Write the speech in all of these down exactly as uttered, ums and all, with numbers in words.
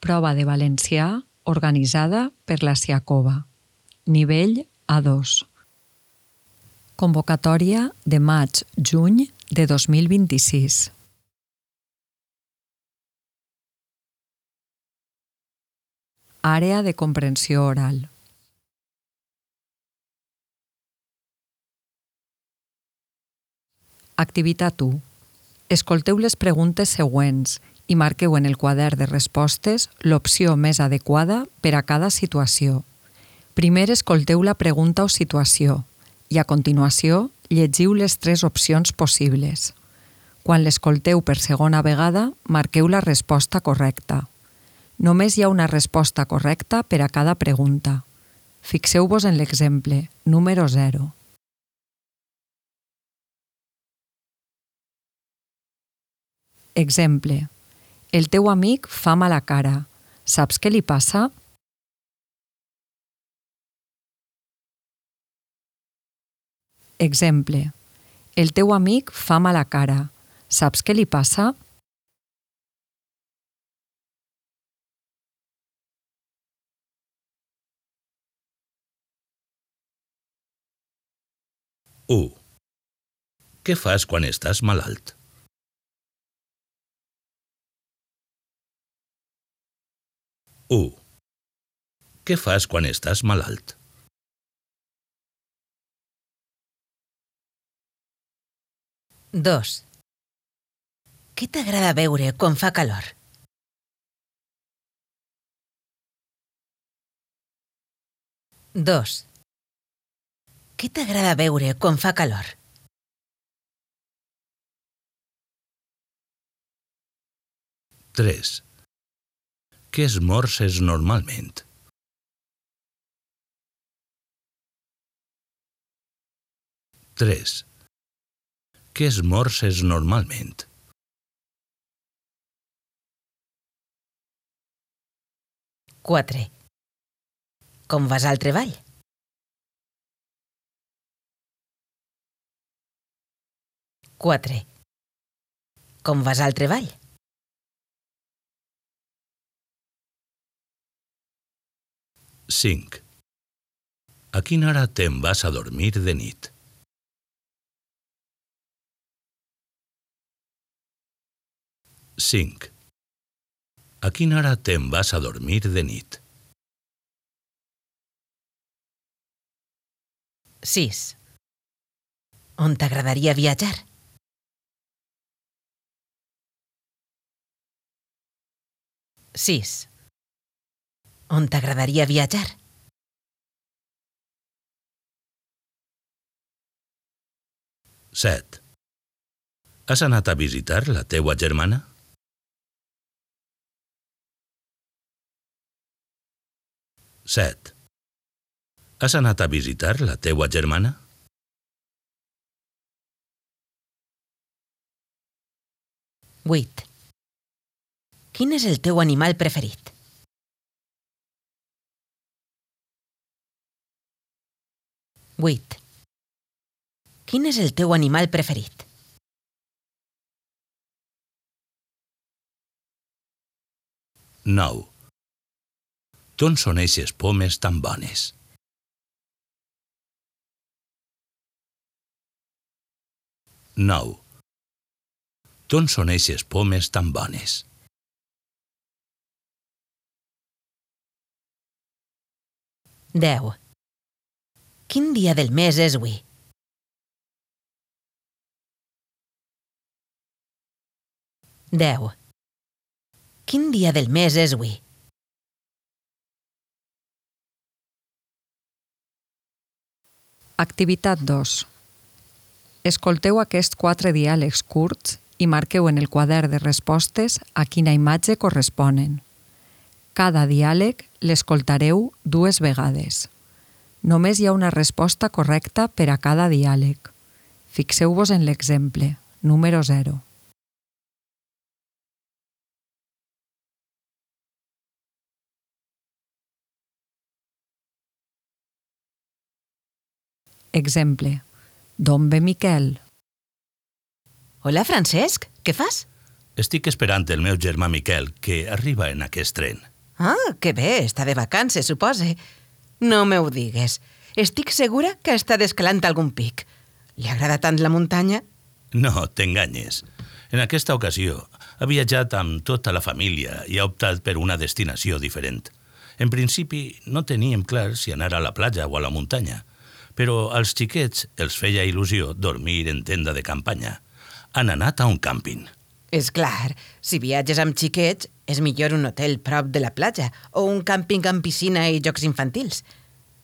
Prova de valencià organitzada per la Siacova. Nivell A dos. Convocatòria de maig-juny de dos mil vint-i-sis. Àrea de comprensió oral. Activitat u. Escolteu les preguntes següents i marqueu en el quadern de respostes l'opció més adequada per a cada situació. Primer escolteu la pregunta o situació i a continuació llegiu les tres opcions possibles. Quan l'escolteu per segona vegada, marqueu la resposta correcta. Només hi ha una resposta correcta per a cada pregunta. Fixeu-vos en l'exemple, número zero. Exemple. El teu amic fa mala cara. Saps què li passa? Exemple. El teu amic fa mala cara. Saps què li passa? u. Què fas quan estàs malalt? u. Què fas quan estàs malalt? dos. Què t'agrada beure quan fa calor? dos. Què t'agrada beure quan fa calor? tres. Què esmorces normalment? tres. Què esmorces normalment? quatre. Com vas al treball? quatre. Com vas al treball? cinc. A quina hora te'n vas a dormir de nit? cinc. A quina hora te'n vas a dormir de nit? sis. On t'agradaria viatjar? sis. On t'agradaria viatjar? set. Has anat a visitar la teua germana? set. Has anat a visitar la teua germana? vuit. Quin és el teu animal preferit? vuit. Quin és el teu animal preferit? nou. D'on són eixes pomes tan bones? nou. D'on són eixes pomes tan bones? deu. Quin dia del mes és avui? deu. Quin dia del mes és avui? Activitat dos. Escolteu aquests quatre diàlegs curts i marqueu en el quadern de respostes a quina imatge corresponen. Cada diàleg l'escoltareu dues vegades. Només hi ha una resposta correcta per a cada diàleg. Fixeu-vos en l'exemple, número zero. Exemple. D'on ve Miquel? Hola, Francesc, què fas? Estic esperant el meu germà Miquel, que arriba en aquest tren. Ah, que bé, està de vacances, supose. No me ho digues. Estic segura que està descalant algun pic. Li agrada tant la muntanya? No, t'enganyes. En aquesta ocasió ha viatjat amb tota la família i ha optat per una destinació diferent. En principi no teníem clar si anar a la platja o a la muntanya, però als xiquets els feia il·lusió dormir en tenda de campanya. Han anat a un càmping. És clar, si viatges amb xiquets, és millor un hotel prop de la platja o un càmping amb piscina i jocs infantils.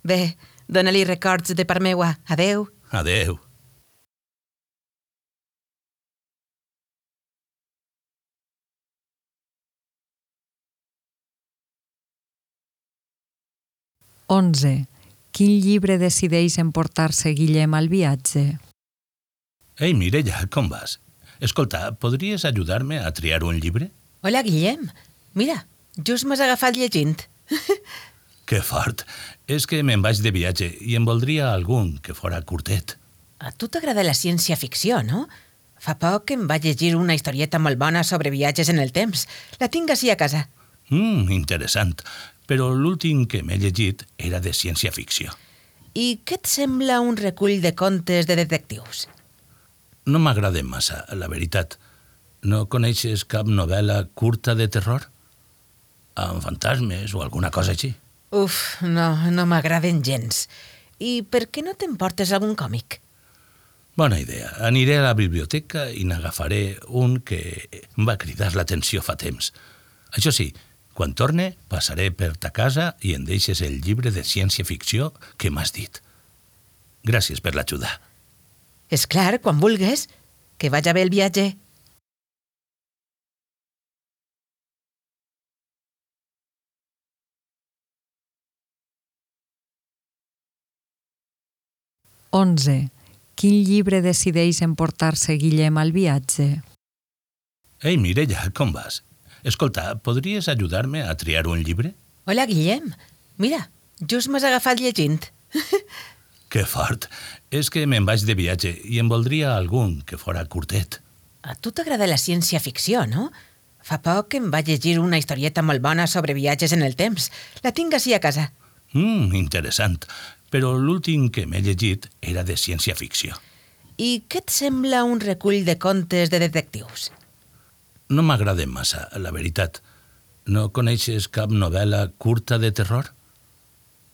Bé, dóna-li records de part meua. Adeu. Adeu. onze. Quin llibre decideix emportar-se Guillem al viatge? Ei, Mireia, com vas? Escolta, podries ajudar-me a triar un llibre? Hola, Guillem. Mira, just m'has agafat llegint. Que fort. És que me'n vaig de viatge i em voldria algun que fora curtet. A tu t'agrada la ciència-ficció, no? Fa poc em vaig llegir una historieta molt bona sobre viatges en el temps. La tinc ací a casa. Mm, interessant. Però l'últim que m'he llegit era de ciència-ficció. I què et sembla un recull de contes de detectius? No m'agraden massa, la veritat. No coneixes cap novel·la curta de terror? Amb fantasmes o alguna cosa així? Uf, no, no m'agraden gens. I per què no t'emportes algun còmic? Bona idea. Aniré a la biblioteca i n'agafaré un que em va cridar l'atenció fa temps. Això sí, quan torne, passaré per ta casa i em deixes el llibre de ciència-ficció que m'has dit. Gràcies per l'ajuda. És clar, quan vulgues. Que vagi bé el viatge. onze. Quin llibre decideix emportar-se Guillem al viatge? Ei, Mireia, com vas? Escolta, podries ajudar-me a triar un llibre? Hola, Guillem. Mira, just m'has agafat llegint. Que fort. És que me'n vaig de viatge i em voldria algun que fora curtet. A tu t'agrada la ciència-ficció, no? Fa poc em vaig llegir una historieta molt bona sobre viatges en el temps. La tinc ací a casa. Mm, interessant. Però l'últim que m'he llegit era de ciència-ficció. I què et sembla un recull de contes de detectius? No m'agraden massa, la veritat. No coneixes cap novel·la curta de terror?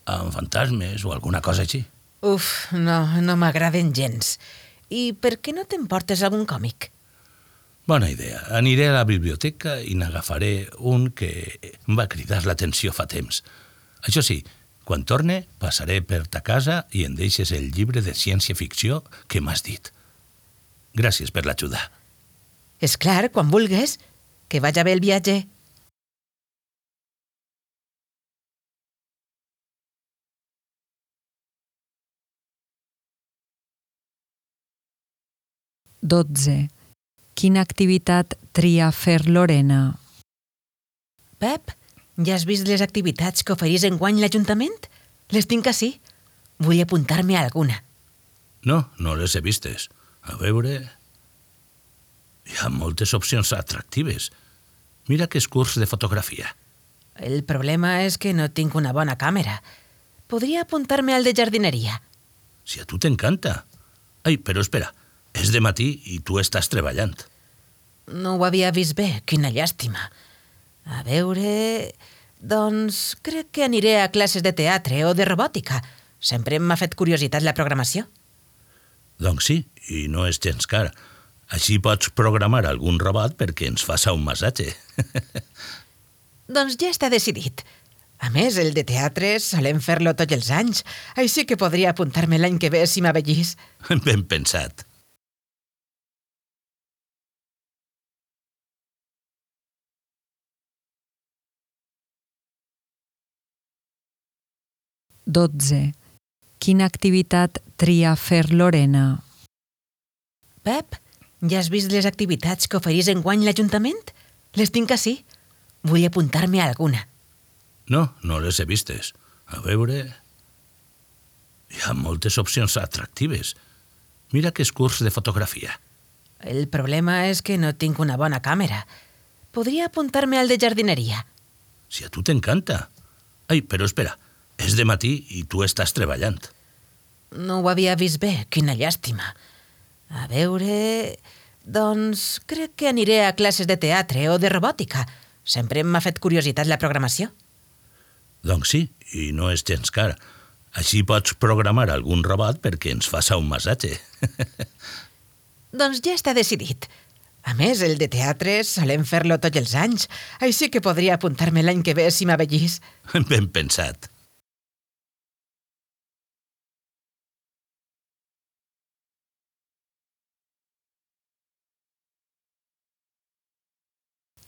Amb fantasmes o alguna cosa així? Uf, no, no m'agraden gens. I per què no t'emportes algun còmic? Bona idea. Aniré a la biblioteca i n'agafaré un que em va cridar l'atenció fa temps. Això sí, quan torne, passaré per ta casa i em deixes el llibre de ciència-ficció que m'has dit. Gràcies per l'ajuda. És clar, quan vulgues. Que vagi bé el viatge. dotze. Quina activitat tria fer Lorena? Pep, ja has vist les activitats que oferís enguany l'Ajuntament? Les tinc ací. Vull apuntar-me a alguna. No, no les he vistes. A veure... Hi ha moltes opcions atractives. Mira que és curs de fotografia. El problema és que no tinc una bona càmera. Podria apuntar-me al de jardineria. Si a tu t'encanta. Ai, però espera, és de matí i tu estàs treballant. No ho havia vist bé, quina llàstima. A veure... Doncs crec que aniré a classes de teatre o de robòtica. Sempre m'ha fet curiositat la programació. Doncs sí, i no és gens car. Així pots programar algun robot perquè ens faça un massatge. Doncs ja està decidit. A més, el de teatre solem fer-lo tots els anys, així que podria apuntar-me l'any que ve si m'avellís. Ben pensat. dotze. Quina activitat tria fer Lorena? Pep, ja has vist les activitats que oferís enguany l'Ajuntament? Les tinc ací. Vull apuntar-me a alguna. No, no les he vistes. A veure... Hi ha moltes opcions atractives. Mira que és curs de fotografia. El problema és que no tinc una bona càmera. Podria apuntar-me al de jardineria. si a tu t'encanta. Ai, però espera, és de matí i tu estàs treballant. No ho havia vist bé, quina llàstima. A veure... Doncs crec que aniré a classes de teatre o de robòtica. Sempre m'ha fet curiositat la programació. Doncs sí, i no és gens car. Així pots programar algun robot perquè ens faça un massatge. Doncs ja està decidit. A més, el de teatre solem fer-lo tots els anys, així que podria apuntar-me l'any que ve si m'avellís. Ben pensat.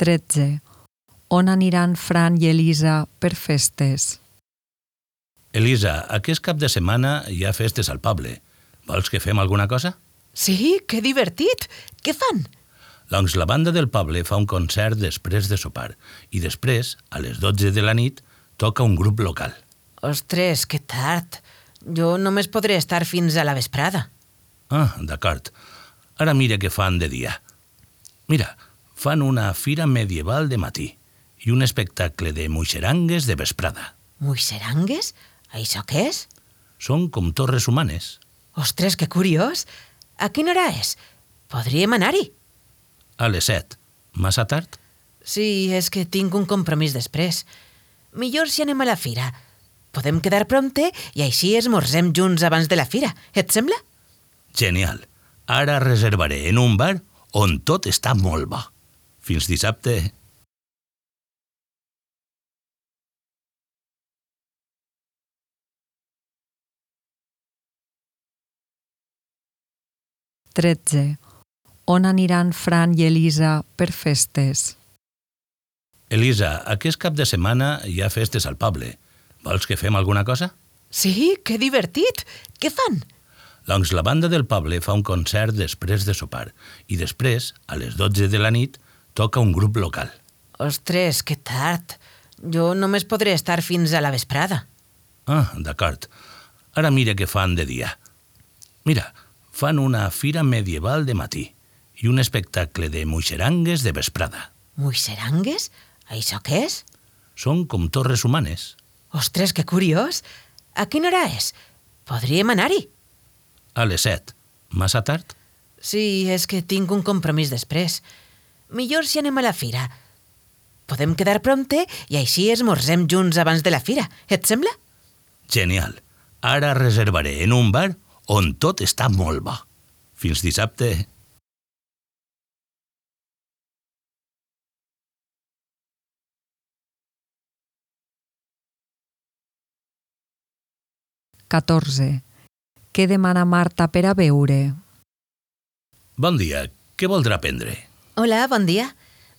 tretze. On aniran Fran i Elisa per festes? Elisa, aquest cap de setmana hi ha festes al poble. Vols que fem alguna cosa? Sí, que divertit! Què fan? Doncs la banda del poble fa un concert després de sopar i després, a les dotze de la nit, toca un grup local. Ostres, que tard. Jo només podré estar fins a la vesprada. Ah, d'acord. Ara mira què fan de dia. Mira, fan una fira medieval de matí i un espectacle de muixerangues de vesprada. Muixerangues? Això què és? Són com torres humanes. Ostres, que curiós! A quina hora és? Podríem anar-hi? A les set. Massa tard? Sí, és que tinc un compromís després. Millor si anem a la fira. Podem quedar prompte i així esmorzem junts abans de la fira. Et sembla? Genial. Ara reservaré en un bar on tot està molt bo. Fins dissabte. tretze. On aniran Fran i Elisa per festes? Elisa, aquest cap de setmana hi ha festes al poble. Vols que fem alguna cosa? Sí, que divertit! Què fan? Doncs la banda del poble fa un concert després de sopar i després, a les dotze de la nit, toca un grup local. Ostres, que tard. Jo només podré estar fins a la vesprada. Ah, d'acord. Ara mira què fan de dia. Mira, fan una fira medieval de matí i un espectacle de muixerangues de vesprada. Muixerangues? Això què és? Són com torres humanes. Ostres, que curiós! A quina hora és? Podríem anar-hi? A les set. Massa tard? Sí, és que tinc un compromís després. Millor si anem a la fira. Podem quedar prompte i així esmorzem junts abans de la fira. Et sembla? Genial. Ara reservaré en un bar on tot està molt bo. Fins dissabte. catorze. Què demana Marta per a beure? Bon dia. Què voldrà prendre? Hola, bon dia.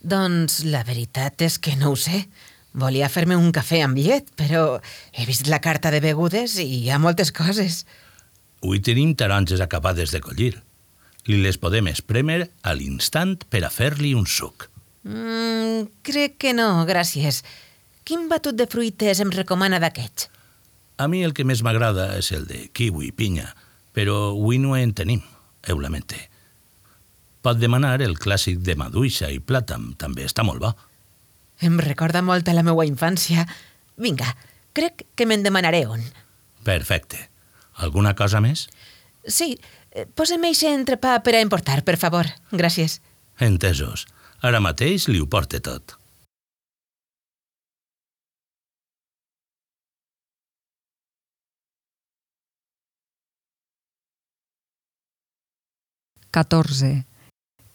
Doncs la veritat és que no ho sé. Volia fer-me un cafè amb llet, però he vist la carta de begudes i hi ha moltes coses. Avui tenim taronges acabades de collir. Li les podem esprémer a l'instant per a fer-li un suc. Mm, crec que no, gràcies. Quin batut de fruites em recomana d'aquests? A mi el que més m'agrada és el de kiwi i pinya, però avui no en tenim, ho lamente. Pot demanar el clàssic de maduixa i plàtan, també està molt bo. Em recorda molt a la meva infància. Vinga, crec que me'n demanaré un. Perfecte. Alguna cosa més? Sí, posa'm eixe entrepà per a emportar, per favor. Gràcies. Entesos. Ara mateix li ho porte tot. catorze.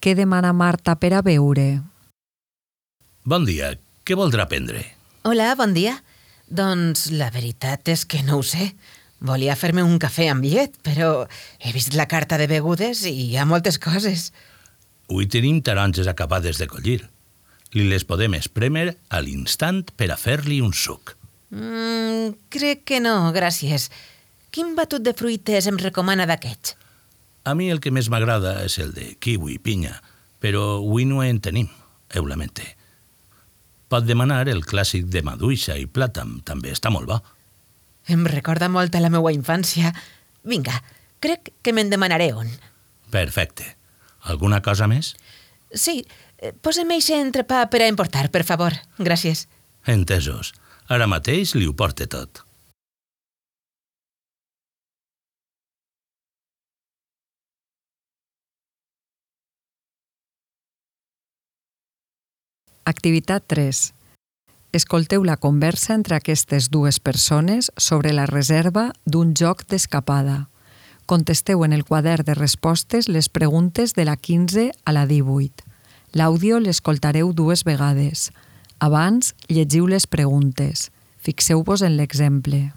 Què demana Marta per a beure? Bon dia. Què voldrà prendre? Hola, bon dia. Doncs la veritat és que no ho sé. Volia fer-me un cafè amb llet, però he vist la carta de begudes i hi ha moltes coses. Avui tenim taronges acabades de collir. Li les podem esprémer a l'instant per a fer-li un suc. Mm, crec que no, gràcies. Quin batut de fruites em recomana d'aquests? A mi el que més m'agrada és el de kiwi i pinya, però avui no en tenim, ho lamente. Pot demanar el clàssic de maduixa i plàtan, també està molt bo. Em recorda molt a la meva infància. Vinga, crec que me'n demanaré un. Perfecte. Alguna cosa més? Sí, posa'm eixe entrepà per a emportar, per favor. Gràcies. Entesos. Ara mateix li ho porte tot. Activitat tres. Escolteu la conversa entre aquestes dues persones sobre la reserva d'un joc d'escapada. Contesteu en el quadern de respostes les preguntes de la quinze a la divuit. L'àudio l'escoltareu dues vegades. Abans, llegiu les preguntes. Fixeu-vos en l'exemple.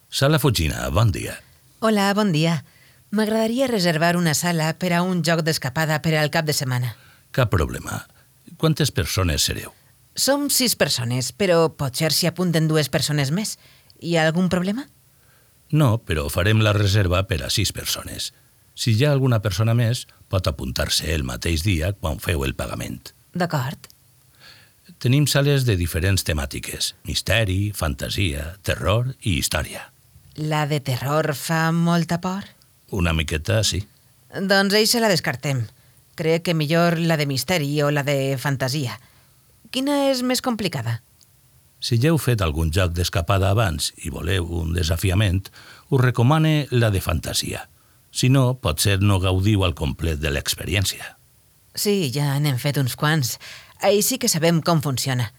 Sala Fugina, bon dia. Hola, bon dia. M'agradaria reservar una sala per a un joc d'escapada per al cap de setmana. Cap problema. Quantes persones sereu? Som sis persones, però potser s'hi apunten dues persones més. Hi ha algun problema? No, però farem la reserva per a sis persones. Si hi ha alguna persona més, pot apuntar-se el mateix dia quan feu el pagament. D'acord. Tenim sales de diferents temàtiques: misteri, fantasia, terror i història. La de terror fa molta por? Una miqueta, sí. Doncs eixa la descartem. Crec que millor la de misteri o la de fantasia. Quina és més complicada? Si ja heu fet algun joc d'escapada abans i voleu un desafiament, us recomane la de fantasia. Si no, potser no gaudiu al complet de l'experiència. Sí, ja n'hem fet uns quants. Així que sabem com funciona.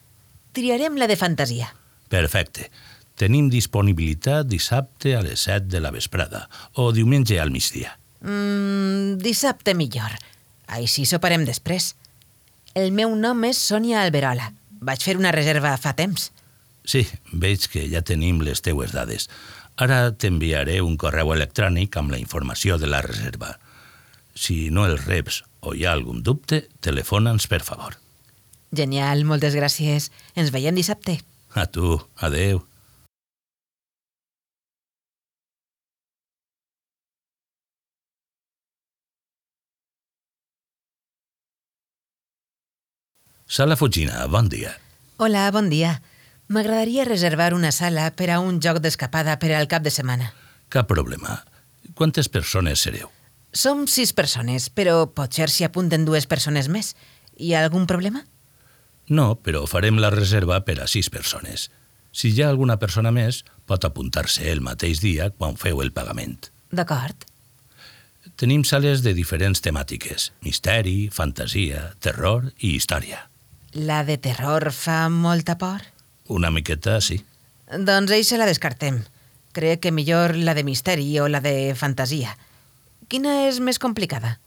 Triarem la de fantasia. Perfecte. Tenim disponibilitat dissabte a les set de la vesprada o diumenge al migdia. Mm, dissabte millor. Així soparem després. El meu nom és Sònia Alberola. Vaig fer una reserva fa temps. Sí, veig que ja tenim les teues dades. Ara t'enviaré un correu electrònic amb la informació de la reserva. Si no el reps o hi ha algun dubte, telefona'ns, per favor. Genial, moltes gràcies. Ens veiem dissabte. A tu, adeu. Sala Fugina, bon dia. Hola, bon dia. M'agradaria reservar una sala per a un joc d'escapada per al cap de setmana. Cap problema. Quantes persones sereu? Som sis persones, però potser s'hi apunten dues persones més. Hi ha algun problema? No, però farem la reserva per a sis persones. Si hi ha alguna persona més, pot apuntar-se el mateix dia quan feu el pagament. D'acord. Tenim sales de diferents temàtiques: misteri, fantasia, terror i història. La de terror fa molta por? Una miqueta, sí. Doncs eixa la descartem. Crec que millor la de misteri o la de fantasia. Quina és més complicada?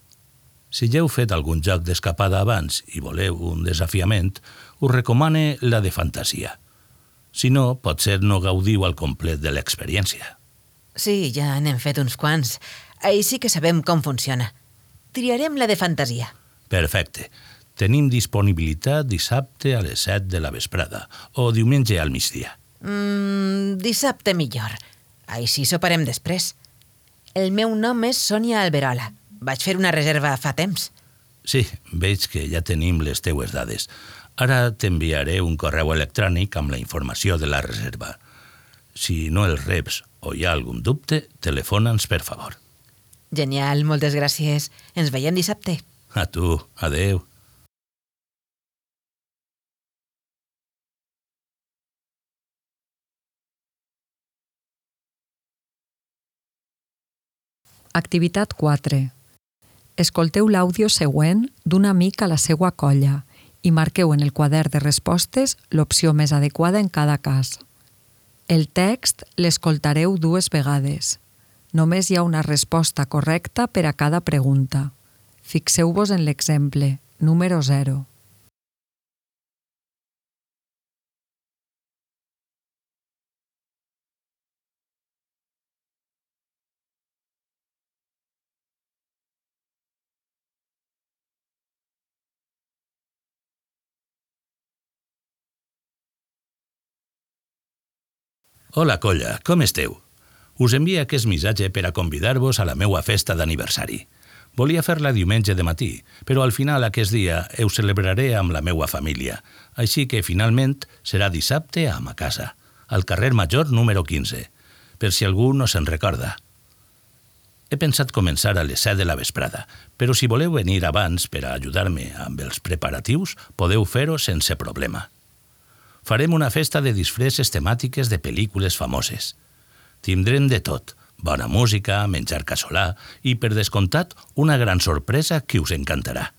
Si ja heu fet algun joc d'escapada abans i voleu un desafiament, us recomane la de fantasia. Si no, potser no gaudiu al complet de l'experiència. Sí, ja n'hem fet uns quants. Així que sabem com funciona. Triarem la de fantasia. Perfecte. Tenim disponibilitat dissabte a les set de la vesprada o diumenge al migdia. Mm, dissabte millor. Així soparem després. El meu nom és Sònia Alberola. Vaig fer una reserva fa temps. Sí, veig que ja tenim les teues dades. Ara t'enviaré un correu electrònic amb la informació de la reserva. Si no el reps o hi ha algun dubte, telefona'ns, per favor. Genial, moltes gràcies. Ens veiem dissabte. A tu, adeu. Activitat quatre. Escolteu l'àudio següent d'un amic a la seua colla i marqueu en el quadern de respostes l'opció més adequada en cada cas. El text l'escoltareu dues vegades. Només hi ha una resposta correcta per a cada pregunta. Fixeu-vos en l'exemple, número zero. Hola, colla, com esteu? Us envia aquest missatge per a convidar-vos a la meua festa d'aniversari. Volia fer-la diumenge de matí, però al final aquest dia ho celebraré amb la meua família, així que finalment serà dissabte a ma casa, al carrer Major número quinze, per si algú no se'n recorda. He pensat començar a les set de la vesprada, però si voleu venir abans per a ajudar-me amb els preparatius, podeu fer-ho sense problema. Farem una festa de disfresses temàtiques de pel·lícules famoses. Tindrem de tot, bona música, menjar casolà i, per descomptat, una gran sorpresa que us encantarà.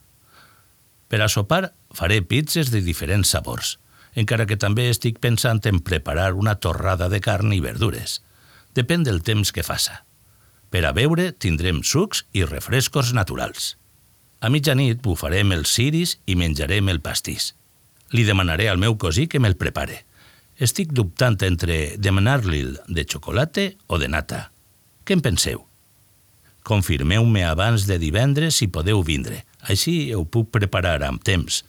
Per a sopar faré pizzas de diferents sabors, encara que també estic pensant en preparar una torrada de carn i verdures. Depèn del temps que faça. Per a beure tindrem sucs i refrescos naturals. A mitjanit bufarem els ciris i menjarem el pastís. Li demanaré al meu cosí que me'l prepare. Estic dubtant entre demanar-li'l de xocolata o de nata. Què en penseu? Confirmeu-me abans de divendres si podeu vindre. Així ho puc preparar amb temps.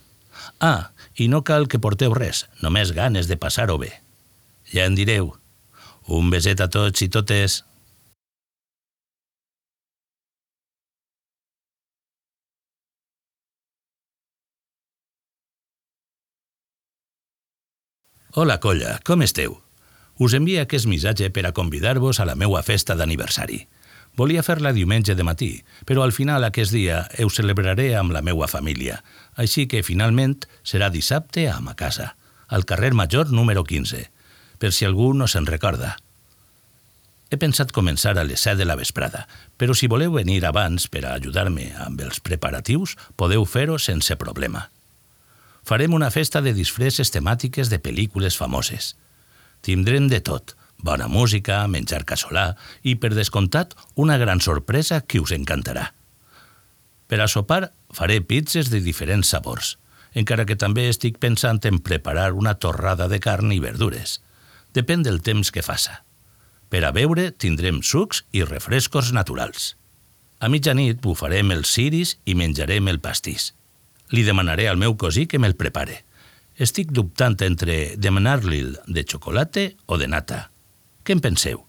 Ah, i no cal que porteu res, només ganes de passar-ho bé. Ja en direu. Un beset a tots i totes. Hola, colla, com esteu? Us envio aquest missatge per a convidar-vos a la meua festa d'aniversari. Volia fer-la diumenge de matí, però al final aquest dia ho celebraré amb la meua família, així que finalment serà dissabte a ma casa, al carrer Major número quinze, per si algú no se'n recorda. He pensat començar a les set de la vesprada, però si voleu venir abans per a ajudar-me amb els preparatius, podeu fer-ho sense problema. Farem una festa de disfresses temàtiques de pel·lícules famoses. Tindrem de tot, bona música, menjar casolà i, per descomptat, una gran sorpresa que us encantarà. Per a sopar faré pizzas de diferents sabors, encara que també estic pensant en preparar una torrada de carn i verdures. Depèn del temps que faça. Per a beure tindrem sucs i refrescos naturals. A mitjanit bufarem els ciris i menjarem el pastís. Li demanaré al meu cosí que me'l prepare. Estic dubtant entre demanar-li'l de xocolata o de nata. Què en penseu?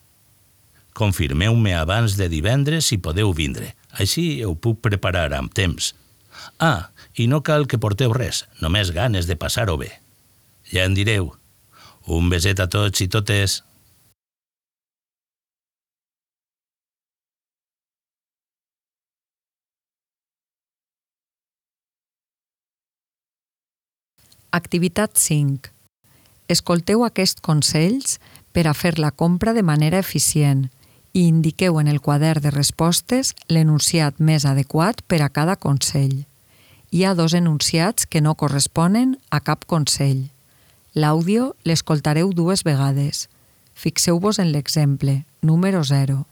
Confirmeu-me abans de divendres si podeu vindre. Així ho puc preparar amb temps. Ah, i no cal que porteu res, només ganes de passar-ho bé. Ja en direu. Un beset a tots i totes. Activitat cinc. Escolteu aquests consells per a fer la compra de manera eficient i indiqueu en el quadern de respostes l'enunciat més adequat per a cada consell. Hi ha dos enunciats que no corresponen a cap consell. L'àudio l'escoltareu dues vegades. Fixeu-vos en l'exemple, número zero.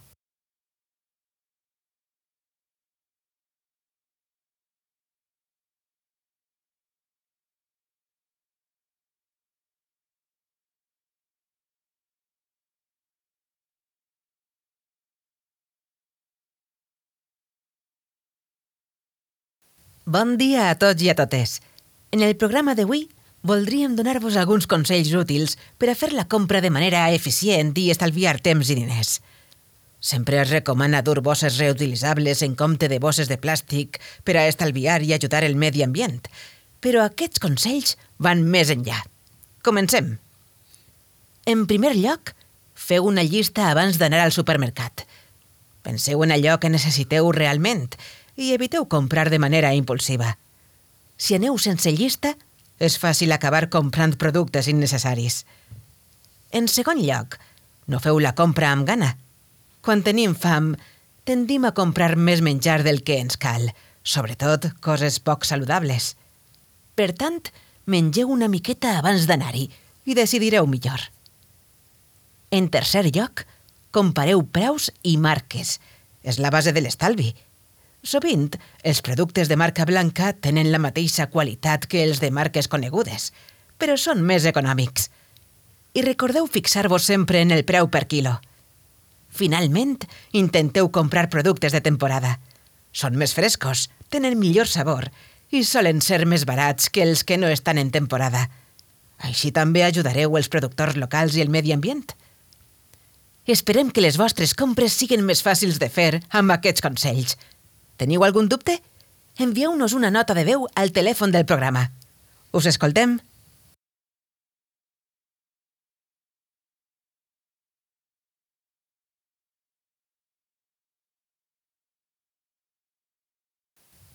Bon dia a tots i a totes. En el programa d'avui voldríem donar-vos alguns consells útils per a fer la compra de manera eficient i estalviar temps i diners. Sempre es recomana dur bosses reutilitzables en compte de bosses de plàstic per a estalviar i ajudar el medi ambient, però aquests consells van més enllà. Comencem. En primer lloc, feu una llista abans d'anar al supermercat. Penseu en allò que necessiteu realment i eviteu comprar de manera impulsiva. Si aneu sense llista, és fàcil acabar comprant productes innecessaris. En segon lloc, no feu la compra amb gana. Quan tenim fam, tendim a comprar més menjar del que ens cal, sobretot coses poc saludables. Per tant, mengeu una miqueta abans d'anar-hi i decidireu millor. En tercer lloc, compareu preus i marques. És la base de l'estalvi. Sovint, els productes de marca blanca tenen la mateixa qualitat que els de marques conegudes, però són més econòmics. I recordeu fixar-vos sempre en el preu per quilo. Finalment, intenteu comprar productes de temporada. Són més frescos, tenen millor sabor i solen ser més barats que els que no estan en temporada. Així també ajudareu els productors locals i el medi ambient. Esperem que les vostres compres siguin més fàcils de fer amb aquests consells. Teniu algun dubte? Envieu-nos una nota de veu al telèfon del programa. Us escoltem.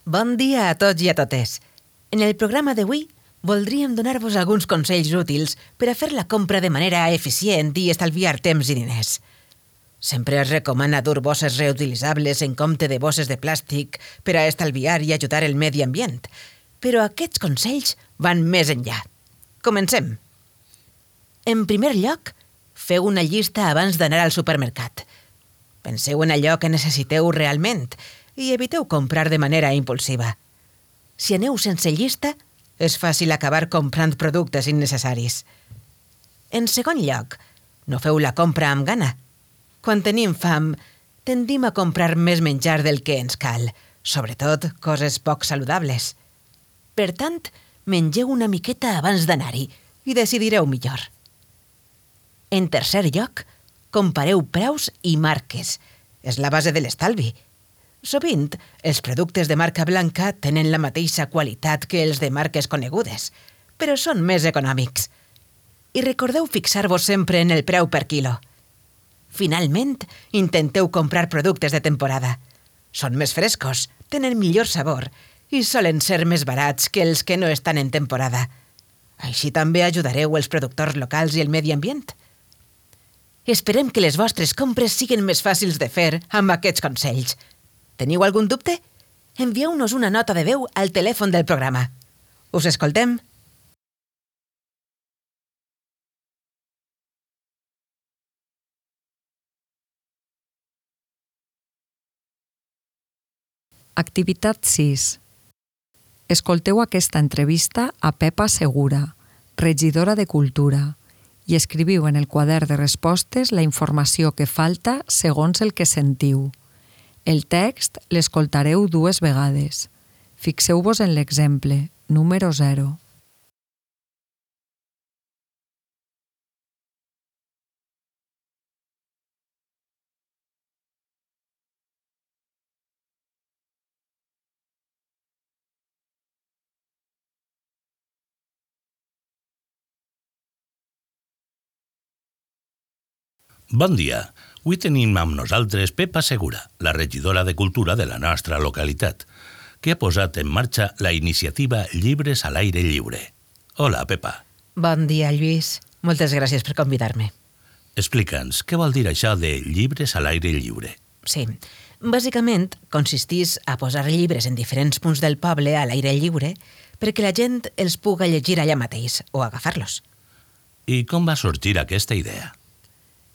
Bon dia a tots i a totes. En el programa d'avui voldríem donar-vos alguns consells útils per a fer la compra de manera eficient i estalviar temps i diners. Sempre es recomana dur bosses reutilitzables en compte de bosses de plàstic per a estalviar i ajudar el medi ambient, però aquests consells van més enllà. Comencem. En primer lloc, feu una llista abans d'anar al supermercat. Penseu en allò que necessiteu realment i eviteu comprar de manera impulsiva. Si aneu sense llista, és fàcil acabar comprant productes innecessaris. En segon lloc, no feu la compra amb gana. Quan tenim fam, tendim a comprar més menjar del que ens cal, sobretot coses poc saludables. Per tant, mengeu una miqueta abans d'anar-hi i decidireu millor. En tercer lloc, compareu preus i marques. És la base de l'estalvi. Sovint, els productes de marca blanca tenen la mateixa qualitat que els de marques conegudes, però són més econòmics. I recordeu fixar-vos sempre en el preu per quilo. Finalment, intenteu comprar productes de temporada. Són més frescos, tenen millor sabor i solen ser més barats que els que no estan en temporada. Així també ajudareu els productors locals i el medi ambient. Esperem que les vostres compres siguin més fàcils de fer amb aquests consells. Teniu algun dubte? Envieu-nos una nota de veu al telèfon del programa. Us escoltem. Activitat sis. Escolteu aquesta entrevista a Pepa Segura, regidora de Cultura, i escriviu en el quadern de respostes la informació que falta segons el que sentiu. El text l'escoltareu dues vegades. Fixeu-vos en l'exemple, número zero. Bon dia. Avui tenim amb nosaltres Pepa Segura, la regidora de Cultura de la nostra localitat, que ha posat en marxa la iniciativa Llibres a l'aire lliure. Hola, Pepa. Bon dia, Lluís. Moltes gràcies per convidar-me. Explica'ns, què vol dir això de llibres a l'aire lliure? Sí, bàsicament consistís a posar llibres en diferents punts del poble a l'aire lliure perquè la gent els puga llegir allà mateix o agafar-los. I com va sorgir aquesta idea?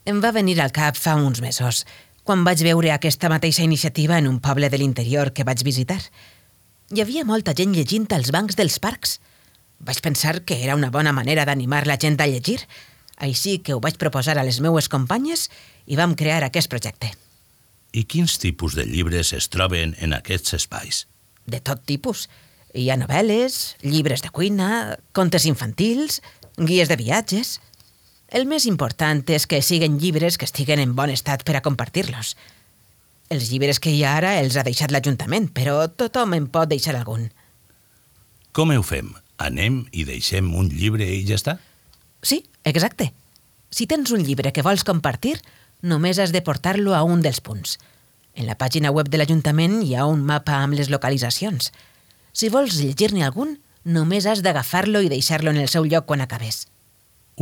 Em va venir al cap fa uns mesos, quan vaig veure aquesta mateixa iniciativa en un poble de l'interior que vaig visitar. Hi havia molta gent llegint als bancs dels parcs. Vaig pensar que era una bona manera d'animar la gent a llegir, així que ho vaig proposar a les meues companyes i vam crear aquest projecte. I quins tipus de llibres es troben en aquests espais? De tot tipus. Hi ha novel·les, llibres de cuina, contes infantils, guies de viatges. El més important és que siguin llibres que estiguen en bon estat per a compartir-los. Els llibres que hi ha ara els ha deixat l'Ajuntament, però tothom en pot deixar algun. Com ho fem? Anem i deixem un llibre i ja està? Sí, exacte. Si tens un llibre que vols compartir, només has de portar-lo a un dels punts. En la pàgina web de l'Ajuntament hi ha un mapa amb les localitzacions. Si vols llegir-ne algun, només has d'agafar-lo i deixar-lo en el seu lloc quan acabes.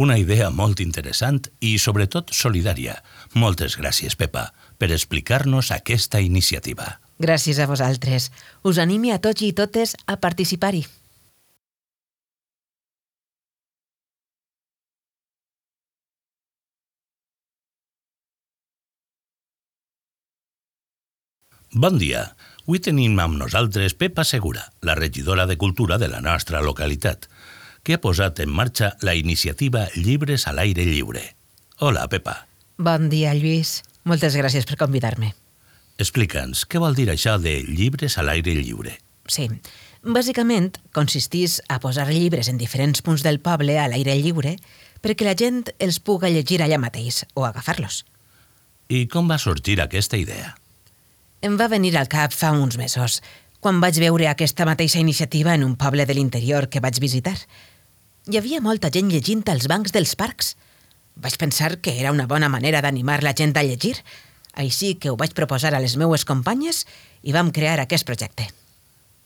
Una idea molt interessant i, sobretot, solidària. Moltes gràcies, Pepa, per explicar-nos aquesta iniciativa. Gràcies a vosaltres. Us animi a tots i totes a participar-hi. Bon dia. Avui tenim amb nosaltres Pepa Segura, la regidora de Cultura de la nostra localitat, que ha posat en marxa la iniciativa Llibres a l'aire lliure. Hola, Pepa. Bon dia, Lluís. Moltes gràcies per convidar-me. Explica'ns, què vol dir això de llibres a l'aire lliure? Sí, bàsicament consistís a posar llibres en diferents punts del poble a l'aire lliure perquè la gent els puga llegir allà mateix o agafar-los. I com va sorgir aquesta idea? Em va venir al cap fa uns mesos, quan vaig veure aquesta mateixa iniciativa en un poble de l'interior que vaig visitar. Hi havia molta gent llegint als bancs dels parcs. Vaig pensar que era una bona manera d'animar la gent a llegir, així que ho vaig proposar a les meues companyes i vam crear aquest projecte.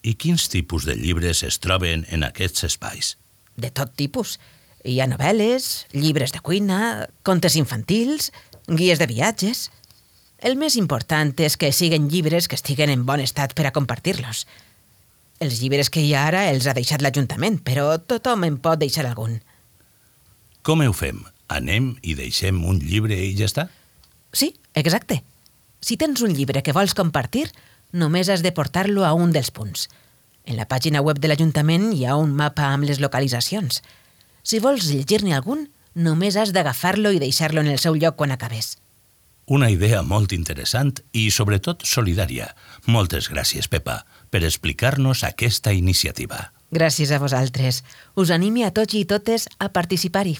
I quins tipus de llibres es troben en aquests espais? De tot tipus. Hi ha novel·les, llibres de cuina, contes infantils, guies de viatges. El més important és que siguin llibres que estiguen en bon estat per a compartir-los. Els llibres que hi ha ara els ha deixat l'Ajuntament, però tothom en pot deixar algun. Com ho fem? Anem i deixem un llibre i ja està? Sí, exacte. Si tens un llibre que vols compartir, només has de portar-lo a un dels punts. En la pàgina web de l'Ajuntament hi ha un mapa amb les localitzacions. Si vols llegir-ne algun, només has d'agafar-lo i deixar-lo en el seu lloc quan acabes. Una idea molt interessant i, sobretot, solidària. Moltes gràcies, Pepa, per explicar-nos aquesta iniciativa. Gràcies a vosaltres. Us anime a tots i totes a participar-hi.